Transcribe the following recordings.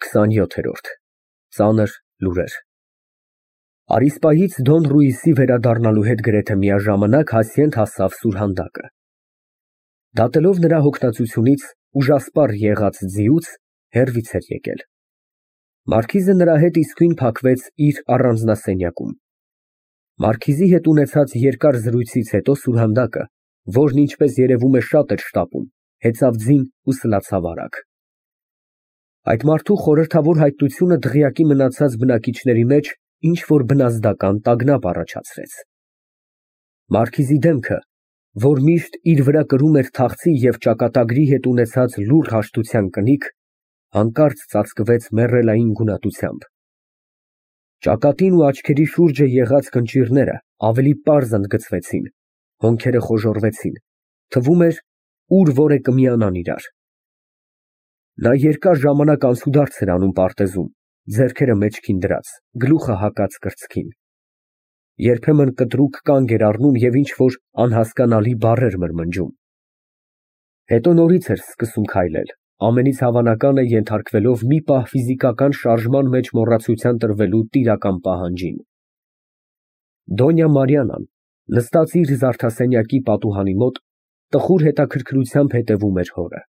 27-րդ ծանր լուրեր Արիսպայից Դոն Ռուիսի վերադառնալու հետ գրեթե միաժամանակ Հասիենդ հասավ Սուրհանդակը։ Դատելով նրա հոգնածությունից, ուժասպառ եղած ձիուց հեռվից էր եկել։ Մարքիզը նրա հետ իսկույն փակվեց իր առանձնասենյակում։ Մարքիզի հետ ունեցած երկար զրույցից հետո Սուրհանդակը, որն ինչպես երևում է շատ էր շտապում, հեծավ ձին ու սլացավ արագ։ Այդ մարդու խորհրդավոր հայտնությունը դղյակի մնացած բնակիչների մեջ ինչ-որ բնազդական տագնապ առաջացրեց։ Մարքիզի դեմքը, որ միշտ իր վրա կրում էր թախծի և ճակատագրի հետ ունեցած լուռ հաշտության կնիկ, հանկարծ ծածկվեց մեռելային գունատությամբ։ Ճակատին ու աչքերի շուրջը եղած կնճիռները ավելի պարզ ընդգծվեցին, հոնքերը խոժոռվեցին, թվում էր, ուր որ է կմիանան իրար։ Նա երկար ժամանակ անցուդարձ էր անում պարտեզում, ձեռքերը մեջքին դրած, գլուխը հակած կրծքին։ Երբեմն կտրուկ կանգ էր առնում և ինչ-որ անհասկանալի բառեր մրմնջում։ Հետո նորից էր սկսում քայլել, ամենից հավանական է ենթարկվելով մի պահ ֆիզիկական շարժման մեջ մոռացության տրվելու տիրական պահանջին։ Դոնյա Մարիանան, նստած իր զարդասենյակի պատուհանի մոտ, տխուր հետաքրքրությամբ հետևում էր հորը։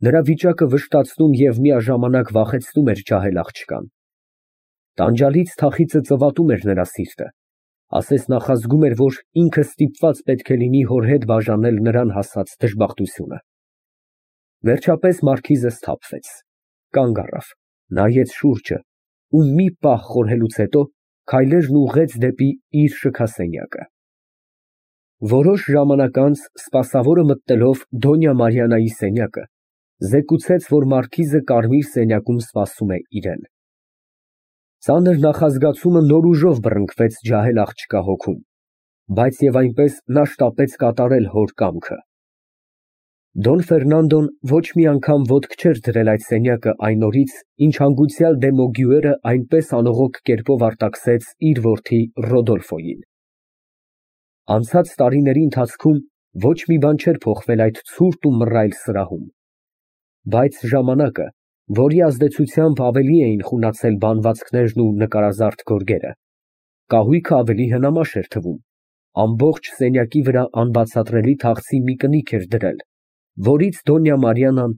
Նրա վիճակը վշտացնում և միաժամանակ վախեցնում էր ջահել աղջկան։ Տանջալից թախիծը ծվատում էր նրա սիրտը, ասես նախազգում էր, որ ինքը ստիպված պետք է լինի հոր հետ բաժանել նրան հասած դժբախտությունը։ Վերջապես մարքիզը սթափվեց, կանգ առավ, նայեց շուրջը ու մի պահ խորհելուց հետո քայլերն ուղղեց դեպի իր շքասենյակը։ Որոշ ժամանակ անց սպասավորը մտնելով Դոնյա Մարիանայի սենյակը, զեկուցեց, որ մարքիզը կարմիր սենյակում սպասում է իրան։ Ծանր նախազգացումը նոր ուժով բռնկվեց ջահել աղջկա հոգում, բայց և այնպես նա շտապեց կատարել հոր կամքը։ Դոն Ֆերնանդոն ոչ մի անգամ ոտք չէր դրել այդ սենյակը այն օրից, ինչ հանգուցյալ Դեմոգյուերը այնպես անողոք կերպով արտաքսեց իր որդի Ռոդոլֆոյին։ Անցած տարիների ընթացքում ոչ մի բան չէր փոխվել այդ ցուրտ ու մռայլ սրահում, բայց ժամանակը, որի ազդեցությամբ ավելի էին խունացել բանվածքներն ու նկարազարդ գորգերը, կահույքը ավելի հնամաշ էր թվում, ամբողջ սենյակի վրա անբացատրելի թախծի մի կնիկ էր դրել, որից Դոնյա Մարիանան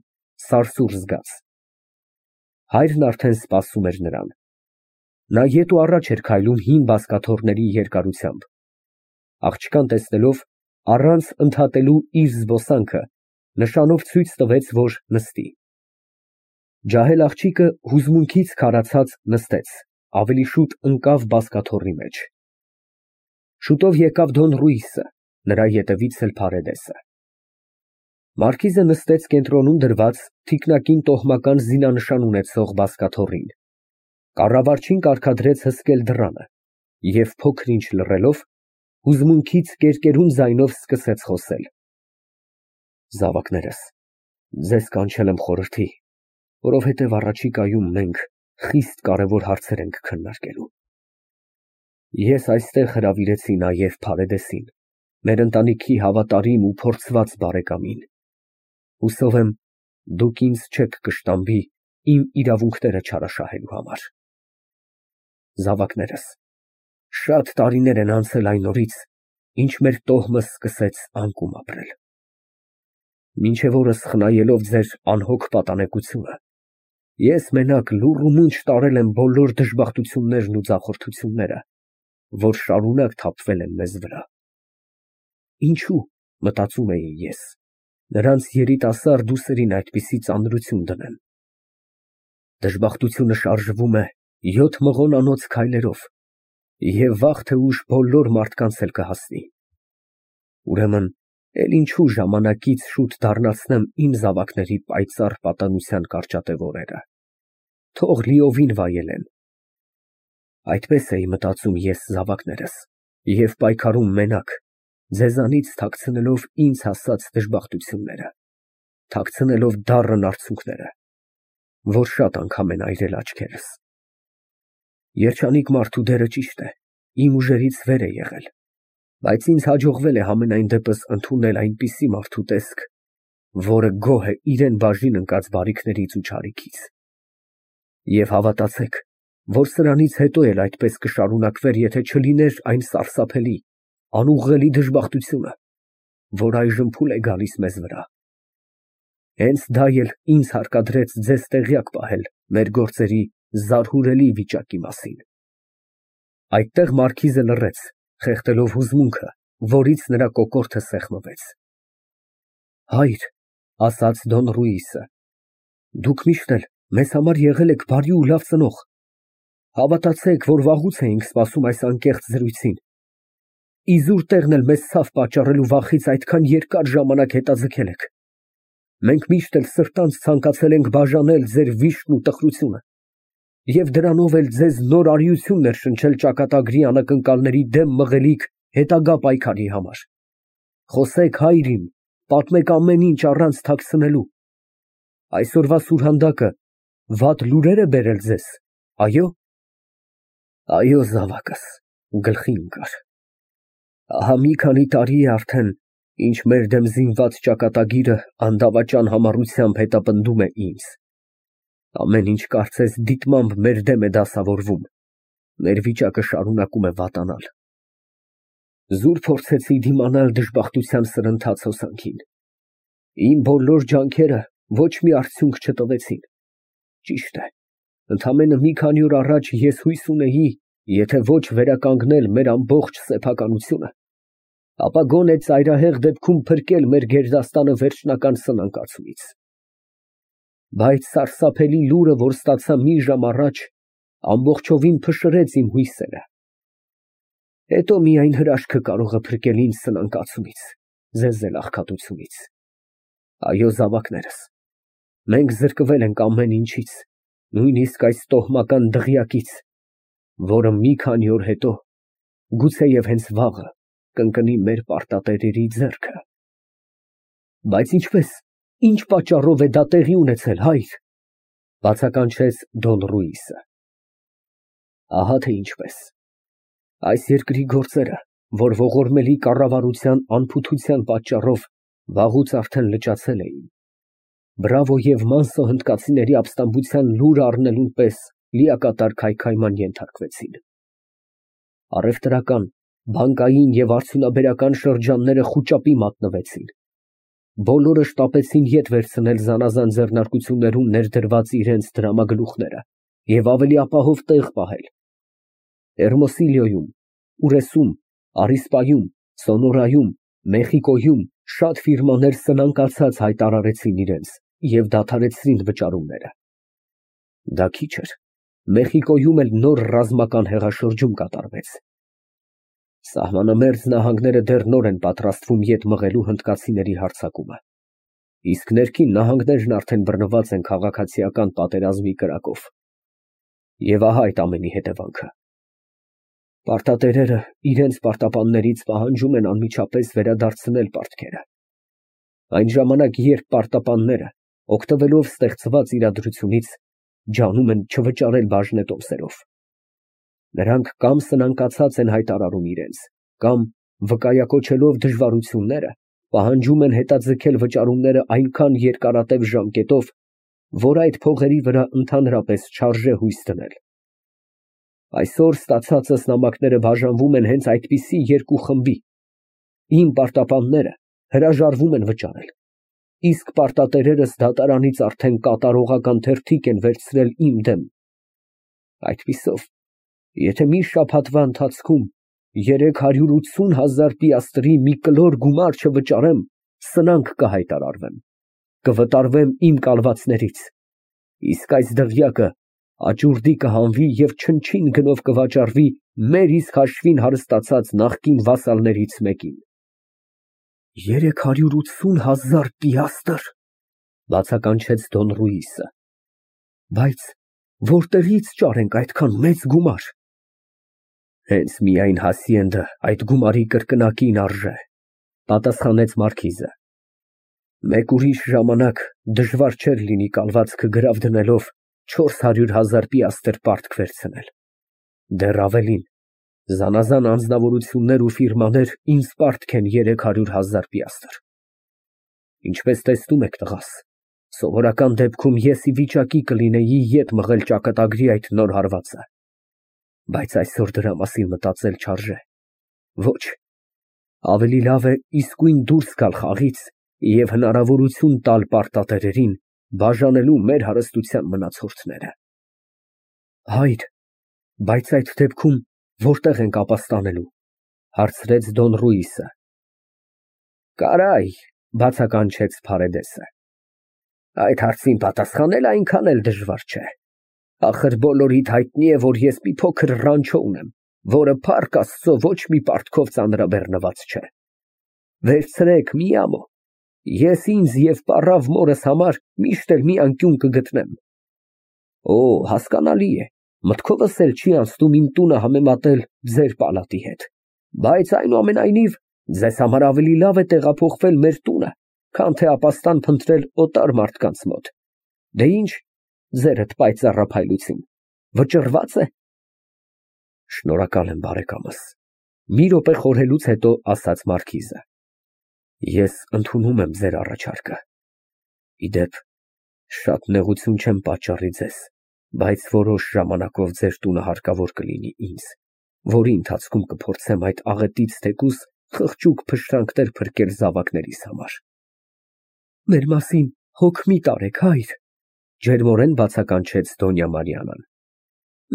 սարսուռ զգաց։ Հայրն արդեն սպասում էր նրան։ Նա ետ ու առաջ էր քայլում հին բազկաթոռների երկարությամբ։ Աղջկան տեսնելով, առանց ընդհատելու իր զբոսանքը, նշանով ցույց տվեց, որ նստի։ Ջահել աղջիկը հուզմունքից քարացած նստեց, ավելի շուտ ընկավ բազկաթոռի մեջ։ Շուտով եկավ Դոն Ռուիսը, նրա ետևից էլ Փարեդեսը։ Մարքիզը նստեց կենտրոնում դրված թիկնակին տոհմական զինանշան ունեցող բազկաթոռին, կառավարչին կարգադրեց հսկել դռանը և փոքր ինչ լռելով, հուզմունքից կերկերուն ձայնով սկսեց խոսել. Զավակներս, ձեզ կանչել եմ խորհրդի, որովհետև առաջիկայում մենք խիստ կարևոր հարցեր ենք քննարկելու։ Ես այստեղ հրավիրեցի նաև Փարեդեսին, մեր ընտանիքի հավատարիմ ու փորձված բարեկամին։ Հուսով եմ, դուք ինձ չեք կշտամբի իմ իրավունքները չարաշահելու համար։ Զավակներս, շատ տարիներ են անցել այն օրից, ինչ մեր տոհմը սկսեց անկում ապրել։ Մինչև օրս խնայելով ձեր անհոգ պատանեկությունը, ես մենակ լուռ ու մունջ տարել եմ բոլոր դժբախտություններն ու ձախորդությունները, որ շարունակ թափվել են մեզ վրա։ Ինչո՞ւ, մտածում էի ես, նրանց երիտասարդ ուսերին այդպիսի ծանրություն դնեմ։ Դժբախտությունը շարժվում է 7 մղոնանոց քայլերով և վաղ թե ուշ բոլոր մարդկանց էլ կհասնի։ Ուրեմն, էլ ինչու ժամանակից շուտ դառնացնեմ իմ զավակների պայծառ պատանության կարճատև օրերը, թող լիովին վայելեն։ Այդպես էի մտածում ես, զավակներս, և պայքարում մենակ, ձեզանից թաքցնելով ինձ հասած դժբախտությունները, թաքցնելով դառն արցունքները, որ շատ անգամ են այրել աչքերս։ Երջանիկ մարդու դերը ճիշտ է, իմ ուժերից վեր է եղել, բայց ինձ հաջողվել է համենայն դեպս ընդունել այնպիսի մարդու տեսք, որը գոհ է իրան բաժին ընկած բարիքներից ու չարիքից։ Եվ հավատացեք, որ սրանից հետո էլ այդպես կշարունակվեր, եթե չլիներ այն սարսափելի, անուղղելի դժբախտությունը, որ այժմ փուլ է գալիս մեզ վրա։ Հենց դա էլ ինձ հարկադրեց ձեզ տեղյակ պահել մեր գործերի զարհուրելի վիճակի մասին։ Այդտեղ մարքիզը լռեց, խեղդելով հուզմունքը, որից նրա կոկորդը սեղմվեց։ Հայր, ասաց Դոն Ռուիսը, դուք միշտ էլ մեզ համար եղել եք բարի ու լավ ծնող։ Հավատացեք, որ վաղուց էինք սպասում այս անկեղծ զրույցին։ Իզուր տեղն էլ մեզ ցավ պատճառելու վախից այդքան երկար ժամանակ հետաձգել եք։ Մենք միշտ էլ սրտանց ցանկացել ենք բաժանել ձեր վիշտն ու տխրությունը, և դրանով էլ ձեզ նոր արիություն ներշնչել ճակատագրի անակնկալների դեմ մղելիք հետագա պայքարի համար։ Խոսեք, հայր իմ, պատմեք ամեն ինչ առանց թաքցնելու։ Այսօրվա սուրհանդակը վատ լուրեր է բերել ձեզ, այո՞։ Այո, զավակս, գլխի ընկար։ Ահա մի քանի տարի է արդեն, ինչ մեր դեմ զինված ճակատագիրը անդավաճան համառությամբ հետապնդում է ինձ։ Ամեն ինչ կարծես դիտմամբ մեր դեմ է դասավորվում։ Մեր վիճակը շարունակում է վատանալ։ Զուր փորձեցի դիմանալ դժբախտության սրընթաց հոսանքին։ Իմ բոլոր ջանքերը ոչ մի արդյունք չտվեցին։ Ճիշտ է, ընդամենը մի քանի օր առաջ ես հույս ունեի, եթե ոչ վերականգնել մեր ամբողջ սեփականությունը, ապա գոնե ծայրահեղ դեպքում փրկել մեր գերդաստանը վերջնական սնանկացումից։ Բայց սարսափելի լուրը, որ ստացա մի ժամ առաջ, ամբողջովին փշրեց իմ հույսերը։ Հետո միայն հրաշքը կարող է փրկել ինձ սնանկացումից, ձեզ էլ աղքատությունից։ Այո, զավակներս, մենք զրկվել ենք ամեն ինչից, նույնիսկ այս տոհմական դղյակից, որը մի քանի օր հետո, գուցեև հենց վաղը, կընկնի մեր պարտատերերի ձեռքը։ Բայց ինչպես, ինչ պատճառով է դա տեղի ունեցել, հայր, բացականչեց Դոն Ռուիսը։ Ահա թե ինչպես։ Այս երկրի գործերը, որ ողորմելի կառավարության անփութության պատճառով վաղուց արդեն լճացել էին, Բրավո և Մանսո հնդկացիների ապստամբության լուրը առնելուն պես լիակատար քայքայման ենթարկվեցին։ Առևտրական, բանկային և արդյունաբերական շրջանները խուճապի մատնվեցին։ Բոլորը շտապեցին ետ վերցնել զանազան ձեռնարկություններում ներդրված իրենց դրամագլուխները և ավելի ապահով տեղ պահել։ Հերմոսիլիոյում, Ուրեսում, Արիսպայում, Սոնորայում, Մեխիկոյում շատ ֆիրմաներ սնանկացած հայտարարեցին իրենց և դադարեցրին վճարումները։ Դա քիչ էր, Մեխիկոյում էլ նոր ռազմական հեղաշրջում կատարվեց։ Սահմանամերձ նահանգները դեռ նոր են պատրաստվում ետ մղելու հնդկացիների հարձակումը, իսկ ներքին նահանգներն արդեն բռնված են քաղաքացիական պատերազմի կրակով։ Եվ ահա այդ ամենի հետևանքը։ Պարտատերերը իրենց պարտապաններից պահանջում են անմիջապես վերադարձնել պարտքերը։ Այն ժամանակ, երբ պարտապանները, օգտվելով ստեղծված իրադրությունից, ջանում են չվճարել բաժնետոմսերով։ Նրանք կամ սնանկացած են հայտարարում իրենց, կամ վկայակոչելով դժվարությունները, պահանջում են հետաձգել վճարումները այնքան երկարատև ժամկետով, որ այդ փողերի վրա ընդհանրապես չարժե հույս դնել։ Այսօր ստացածս նամակները բաժանվում են հենց այդպիսի երկու խմբի։ Իմ պարտապանները հրաժարվում են վճարել, իսկ պարտատերերս դատարանից արդեն կատարողական թերթիկ են վերցրել իմ դեմ։ Այդպիսով, եթե մի շաբաթվա ընթացքում 380,000 պիաստրի մի կլոր գումար չվճարեմ, սնանկ կհայտարարվեմ, կվտարվեմ իմ կալվածներից, իսկ այս դղյակը աճուրդի կհանվի և չնչին գնով կվաճառվի մեր իսկ հաշվին հարստացած նախկին վասալներից մեկին։ 380,000 պիաստր, բացականչեց Դոն Ռուիսը։ Բայց որտեղից ճարենք այդքան մեծ գումար։ Հենց միայն հասիենդը այդ գումարի կրկնակին արժե, պատասխանեց մարքիզը։ Մեկ ուրիշ ժամանակ դժվար չէր լինի կալվածքը գրավ դնելով 400,000 պիաստր պարտք վերցնել։ Դեռ ավելին, զանազան անձնավորություններ ու ֆիրմաներ ինձ պարտք են 300,000 պիաստր։ Ինչպես տեսնում եք, տղաս, Սովորական դեպքում ես ի վիճակի կլինեի ետ մղել ճակատագրի այդ նոր հարվածը, բայց այսօր դրա մասին մտածել չարժե։ Ոչ, ավելի լավ է իսկույն դուրս գալ խաղից և հնարավորություն տալ պարտատերերին բաժանելու մեր հարստության մնացորդները։ Հայր, բայց այդ դեպքում որտե՞ղ ենք ապաստանելու, հարցրեց Դոն Ռուիսը։ Կարայ, բացականչեց Փարեդեսը, այդ հարցին պատասխանել այնքան էլ դժվար չէ։ Ախր բոլորիդ հայտնի է, որ ես մի փոքր ռանչո ունեմ, որը փառք Աստծո ոչ մի պարտքով ծանրաբեռնված չէ։ Վերցրեք մի ամո, ես ինձ և պառավ մորս համար միշտ էլ մի անկյուն կգտնեմ։ Օ, հասկանալի է, մտքովս էլ չի անցնում իմ տունը համեմատել ձեր պալատի հետ, բայց այնուամենայնիվ ձեզ համար ավելի լավ է տեղափոխվել մեր տունը, քան թե ապաստան փնտրել օտար մարդկանց մոտ։ Դե ինչ, ձերդ պայծառափայլություն, վճռվա՞ծ է։ Շնորհակալ եմ, բարեկամս, մի րոպե խորհելուց հետո ասաց մարքիզը։ Ես ընդունում եմ ձեր առաջարկը։ Իդեպ, շատ նեղություն չեմ պատճառի ձեզ, բայց որոշ ժամանակով ձեր տունը հարկավոր կլինի ինձ, որի ընթացքում կփորձեմ այդ աղետից թեկուզ խղճուկ փշրանքներ փրկել զավակներիս համար։ Մեր մասին հոգ մի տարեք, հայր, ջերմորեն բացականչեց Դոնյա Մարիանան։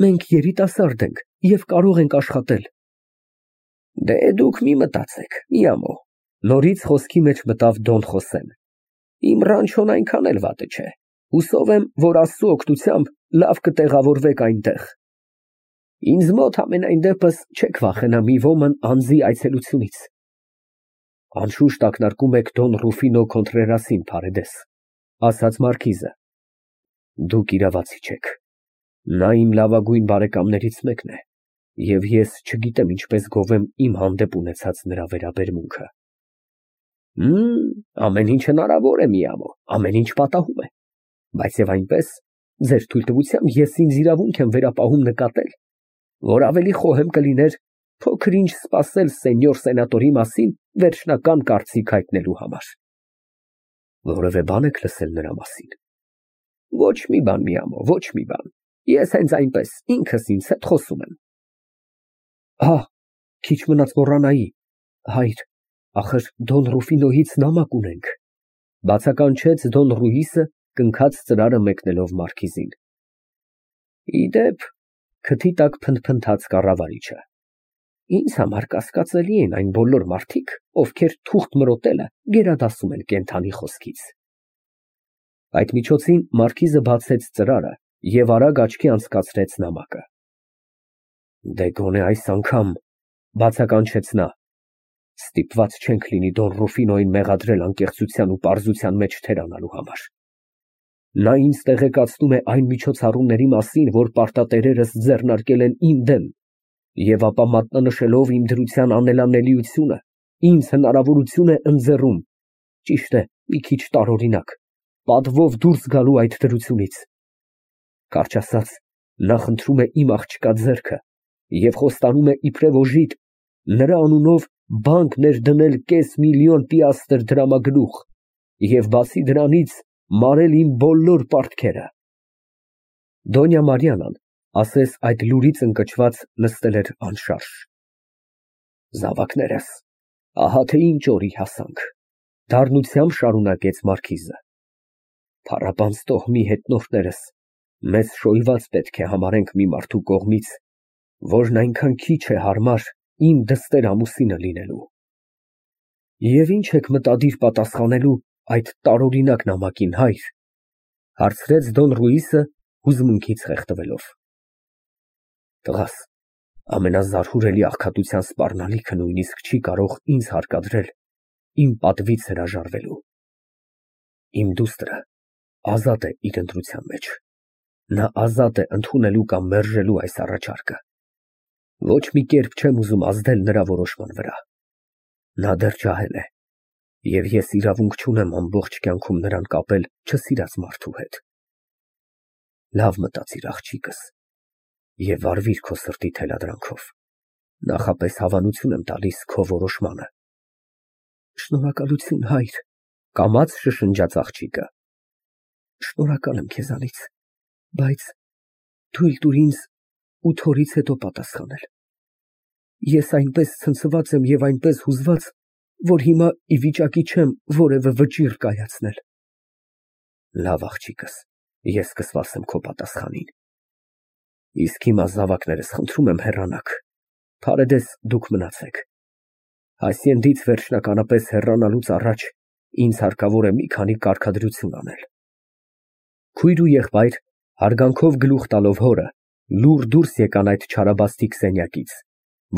Մենք երիտասարդ ենք և կարող ենք աշխատել։ Դե դուք մի մտածեք, մի ամո, նորից խոսքի մեջ մտավ Դոն Խոսեն։ Իմ ռանչոն այնքան էլ վատը չէ, հուսով եմ, որ Աստծու օգնությամբ լավ կտեղավորվեք այնտեղ։ Ինձ մոտ համենայն դեպս չեք վախենա մի ոմն անձի այցելությունից։ Անշուշտ ակնարկում եք Դոն Ռուֆինո Քոնտրերասին, Փարեդես, ասաց մարքիզը։ Դուք իրավացի չեք։ Նա իմ լավագույն բարեկամներից մեկն է, և ես չգիտեմ ինչպես գովեմ իմ հանդեպ ունեցած նրա վերաբերմունքը։ Ամեն ինչ հնարավոր է, մի ամո, ամեն ինչ պատահում է, բայց և այնպես, ձեր թույլտվությամբ ես ինձ իրավունք եմ վերապահում նկատել, որ ավելի խոհեմ կլիներ փոքր ինչ սպասել սենյոր սենատորի մասին վերջնական կարծիք հայտնելու համար։ Որևէ բան եք լսել նրա մասին։ Ոչ մի բան, մի ամո, ոչ մի բան, ես հենց այնպես ինքս ինձ հետ խոսում եմ։ Քիչ մնաց մոռանայի, հայր, ախր Դոն Ռուֆինոյից նամակ ունենք, բացականչեց Դոն Ռուիսը, կնքած ծրարը մեկնելով մարքիզին։ Իդեպ, քթի տակ փնթփնթաց կառավարիչը։ Ինձ համար կասկածելի են այն բոլոր մարդիկ, ովքեր թուղթ մրոտելը գերադասում են կենդանի խոսքից։ Այդ միջոցին մարքիզը բացեց ծրարը և արագ աչքի անցկացրեց նամակը։ Դե գոնե այս անգամ, բացականչեց նա, ստիպված չենք լինի Դոն Ռուֆինոյին մեղադրել անկեղծության ու պարզության մեջ թերանալու համար։ Նա ինձ տեղեկացնում է այն միջոցառումների մասին, որ պարտատերերս ձեռնարկել են իմ դեմ, և ապա մատնանշելով իմ դրության անելանելիությունը, ինձ հնարավորություն է ընձեռում, ճիշտ է, մի քիչ տարօրինակ, պատվով դուրս գալու այդ դրությունից։ Կարճ ասած, նա խնդրում է իմ աղջկա ձեռքը և խոստանում է իբրև օժիտ նրա անունով բանկ ներդնել կես միլիոն պիաստր դրամագլուխ և բացի դրանից մարել իմ բոլոր պարտքերը։ Դոնյա Մարիանան, ասես այդ լուրից ընկճված, նստել էր անշարժ։ Զավակներս, ահա թե ինչ օրի հասանք, դառնությամբ շարունակեց մարքիզը։ Փառաբանց տոհմի հետնորդներս մեզ շոյված պետք է համարենք մի մարդու կողմից, որն այնքան քիչ է հարմար իմ դստեր ամուսինը լինելու։ Եվ ինչ եք մտադիր պատասխանելու այդ տարօրինակ նամակին, հայր, հարցրեց Դոն Ռուիսը հուզմունքից խեղդվելով։ Տղաս, ամենազարհուրելի աղքատության սպառնալիքը նույնիսկ չի կարող ինձ հարկադրել իմ պատվից հրաժարվելու։ Իմ դուստրը ազատ է իր ընտրության մեջ։ Նա ազատ է ընդունելու կամ մերժելու այս առաջարկը։ Ոչ մի կերպ չեմ ուզում ազդել նրա որոշման վրա։ Նա դեռ ջահել է, և ես իրավունք չունեմ ամբողջ կյանքում նրան կապել չսիրած մարդու հետ։ Լավ մտածիր, աղջիկս, և վարվիր քո սրտի թելադրանքով։ Նախապես հավանություն եմ տալիս քո որոշմանը։ Շնորհակալություն, հայր, կամաց շշնջաց աղջիկը։ Շնորհակալ եմ քեզանից, բայց թույլ տուր ինձ 8 օրից հետո պատասխանել։ Ես այնպես ցնցված եմ և այնպես հուզված, որ հիմա ի վիճակի չեմ որևէ վճիռ կայացնել։ Լավ, աղջիկս, ես կսպասեմ քո պատասխանին։ Իսկ հիմա, զավակներս, խնդրում եմ հեռանաք։ Փարեդես դուք մնացեք։ Հասցենդից վերջնականապես հեռանալուց առաջ ինձ հարկավոր է մի քանի կարգադրություն անել։ Քույր ու եղբայր, հարգանքով գլուխ տալով հորը, լուռ դուրս եկան այդ չարաբաստիկ սենյակից,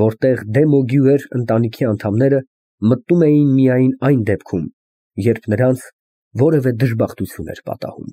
որտեղ դեմ ու գյուեր ընտանիքի անդամները մտնում էին միայն այն դեպքում, երբ նրանց որևէ դժբախտություն էր պատահում։